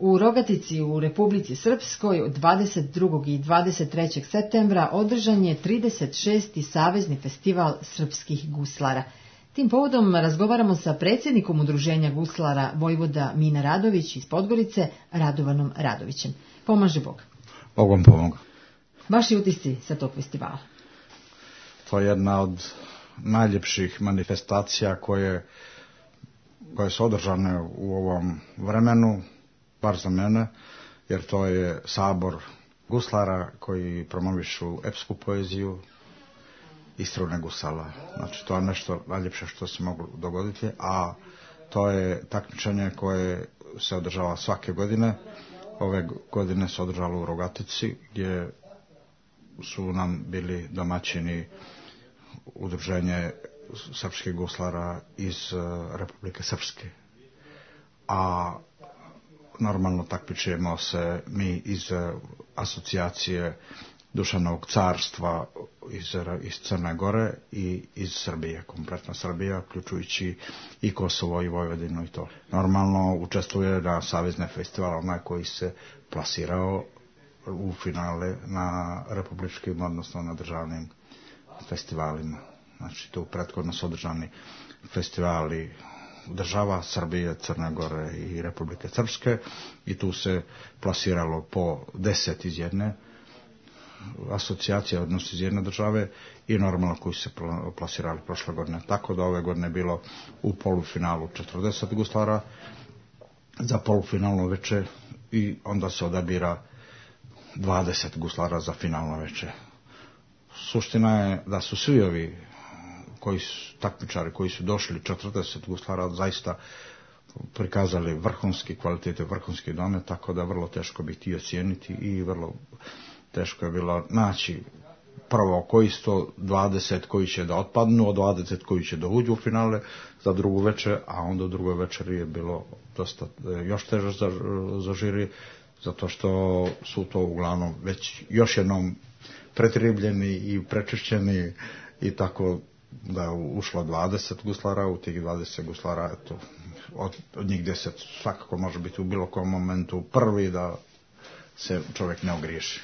U Rogatici u Republici Srpskoj od 22. i 23. septembra održan je 36. savezni festival srpskih guslara. Tim povodom razgovaramo sa predsjednikom Udruženja guslara Vojvoda Mina Radović iz Podgorice, Radovanom Radovićem. Pomaže Bog. Bogom pomoga. Vaši utisci sa tog festivala? To je jedna od najljepših manifestacija koje su održane u ovom vremenu, bar za mene, jer to je sabor guslara koji promovišu epsku poeziju i strune gusala. Znači, to je nešto najljepše što se moglo dogoditi, a to je takmičenje koje se održava svake godine. Ove godine se održalo u Rogatici, gdje su nam bili domaćini Udruženje srpskih guslara iz Republike Srpske. A normalno takmičimo se mi iz asocijacije Dušanovog carstva iz Crne Gore i iz Srbije, kompletna Srbija, uključujući i Kosovo i Vojvodinu i to. Normalno učestvuje na savezne festivale onaj koji se plasirao u finale na republičkim, odnosno na državnim festivalima. Znači, tu prethodno su održani festivali država Srbije, Crne Gore i Republike Srpske i tu se plasiralo po 10 iz jedne asocijacije, odnosno iz jedne države i normalno koji se plasirali prošle godine. Tako da ove godine je bilo u polufinalu 40 guslara za polufinalno veče i onda se odabira 20 guslara za finalno veče. Suština je da su svi ovi takmičari koji su došli, 40 guslara, zaista prikazali vrhunski kvalitete, vrhunski domet, tako da vrlo teško biti i ocijeniti i vrlo teško je bilo naći prvo koji su to 20 koji će da otpadnu, od 20 koji će da uđu u finale za drugu večer, a onda u drugoj večeri je bilo dosta još teže za žiri, zato što su to uglavnom već još jednom pretribljeni i prečišćeni i tako da je ušlo 20 guslara, u tih 20 guslara, eto, od njih 10 svakako može biti u bilo kom momentu prvi da se čovjek ne ogriješi.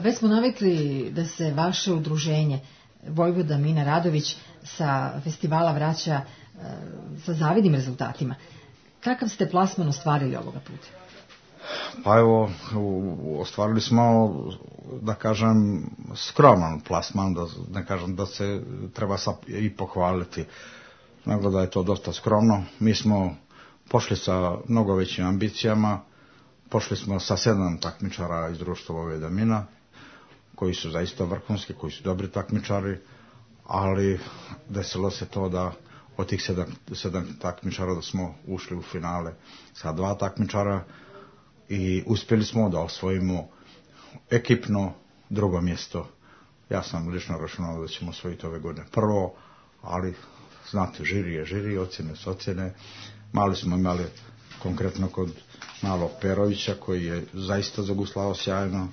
Već smo navikli da se vaše udruženje Vojvoda Mina Radović sa festivala vraća sa zavidnim rezultatima. Kakav ste plasman ostvarili ovoga puta? Pa evo, ostvarili smo, da kažem, skroman plasman, da ne kažem da se treba i pohvaliti, nego da je to dosta skromno. Mi smo pošli sa mnogo većim ambicijama, pošli smo sa 7 takmičara iz društva Vojvoda Mina, koji su zaista vrhunski, koji su dobri takmičari, ali desilo se to da od tih 7 takmičara da smo ušli u finale sa 2 takmičara, i uspjeli smo da osvojimo ekipno drugo mjesto. Ja sam lično računao da ćemo osvojiti ove godine prvo, ali znate, žiri je žiri, ocjene su ocjene. Mali smo imali konkretno kod malog Perovića koji je zaista zaguslao sjajno,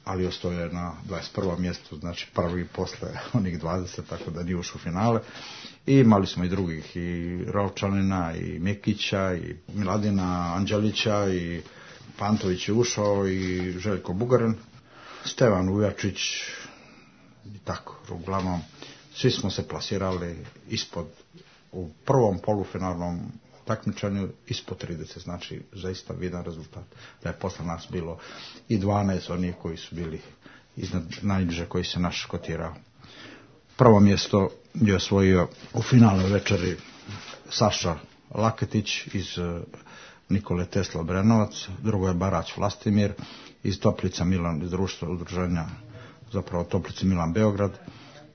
ali ostao je na 21. mjestu, znači prvi posle onih 20, tako da nije ušao u finale. I imali smo i drugih, i Rovčanina, i Mikića, i Miladina Anđelića, i Pantović je ušao, i Željko Bugarin, Stevan Ujačić, i tako, uglavnom, svi smo se plasirali ispod, u prvom polufinalnom takmičenju ispod 30, znači zaista vidan rezultat. Da je posle nas bilo i 12 onih koji su bili iznad najniže koji se naš kotirao. Prvo mjesto je osvojio u finalnoj večeri Saša Laketić iz Nikole Tesla Brenovac, drugo je Barać Vlastimir iz Toplica Milan, iz društva udruženja, zapravo Toplica Milan Beograd,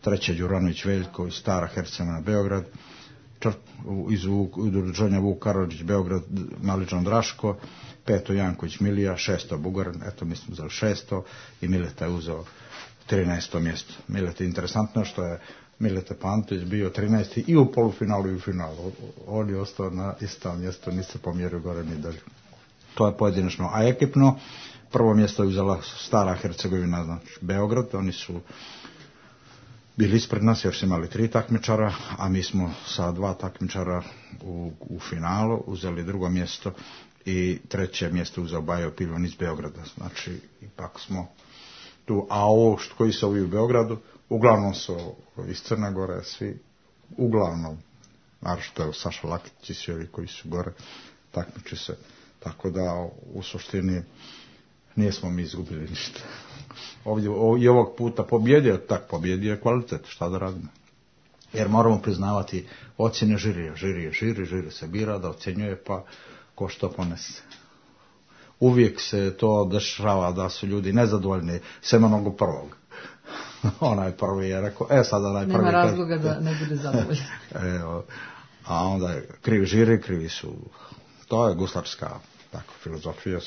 treće Đuranović Veljko iz Stara Hercegovina Beograd, iz udruženja Vuk Karadžić Beograd Maličan Draško, peto Janković Milija, šesto Bugarin, eto mi smo uzeli šesto i Mileta je uzeo 13. mjesto. Mileta je interesantno što je Mileta Pantović bio 13. i u polufinalu i u finalu. On je ostao na istom mjestu, niste pomjerio gore ni dalje. To je pojedinačno. A ekipno, prvo mjesto je uzela Stara Hercegovina, znači Beograd, oni su bili ispred nas jer su imali 3 takmičara, a mi smo sa 2 takmičara u finalu uzeli drugo mjesto i 3. mjesto uzeo Bajo Pilon iz Beograda. Znači, ipak smo tu. A ovo koji su ovi u Beogradu, uglavnom su iz Crne Gore, svi, uglavnom, naravno je Saša Lakić i svi ovi koji su gore, takmiči se. Tako da, u suštini, nismo mi izgubili ništa. Ovdje i ovog puta pobjedio je kvalitet, šta da radimo. Jer moramo priznavati ocjene žirija. Žiri se bira da ocjenjuje, pa ko što ponese. Uvijek se to dešava da su ljudi nezadovoljni sem onog prvog. Onaj prvi je rekao, sada onaj prvi... Nema razloga da ne bude zadovoljan. A onda je krivi žiri, krivi su... To je guslarska tako, filozofija,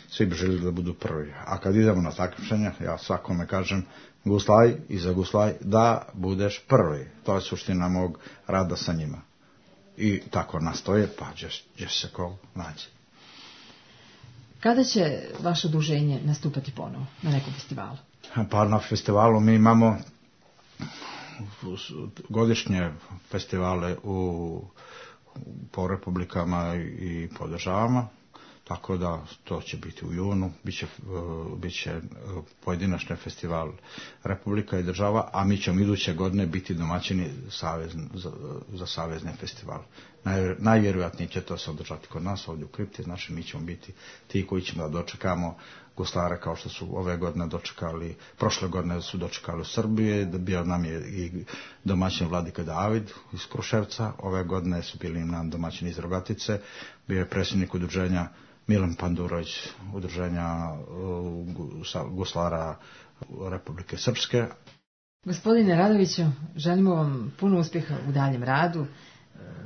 svi bi željeli da budu prvi. A kad idemo na takmičenja, ja svakome kažem, guslaj i zaguslaj da budeš prvi. To je suština mog rada sa njima. I tako nastoje, pa gdje se ko nađe. Kada će vaše udruženje nastupati ponovo na nekom festivalu? Pa na festivalu mi imamo godišnje festivale po republikama i po državama, tako da to će biti u junu, bit će pojedinačni festival republika i država, a mi ćemo iduće godine biti domaćini za savezni festival. Najvjerojatnije će to se održati kod nas ovdje u Kripti, znači mi ćemo biti ti koji ćemo da dočekamo guslare kao što su ove godine dočekali, prošle godine su dočekali u Srbiji, bio nam je i domaćin Vladika David iz Kruševca, ove godine su bili nam domaćini iz Rogatice, bio je predsjednik udruženja Milan Pandurović, udruženja guslara Republike Srpske. Gospodine Radoviću, želimo vam puno uspjeha u daljem radu,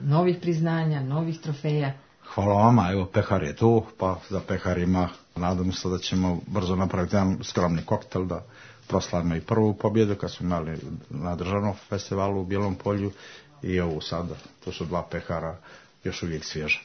novih priznanja, novih trofeja. Hvala vama, evo pehar je tu, pa za peharima nadam se da ćemo brzo napraviti jedan skromni koktel da proslavimo i prvu pobjedu kad smo imali na državnom festivalu u Bijelom Polju i ovu sada, to su 2 pehara još uvijek svježa.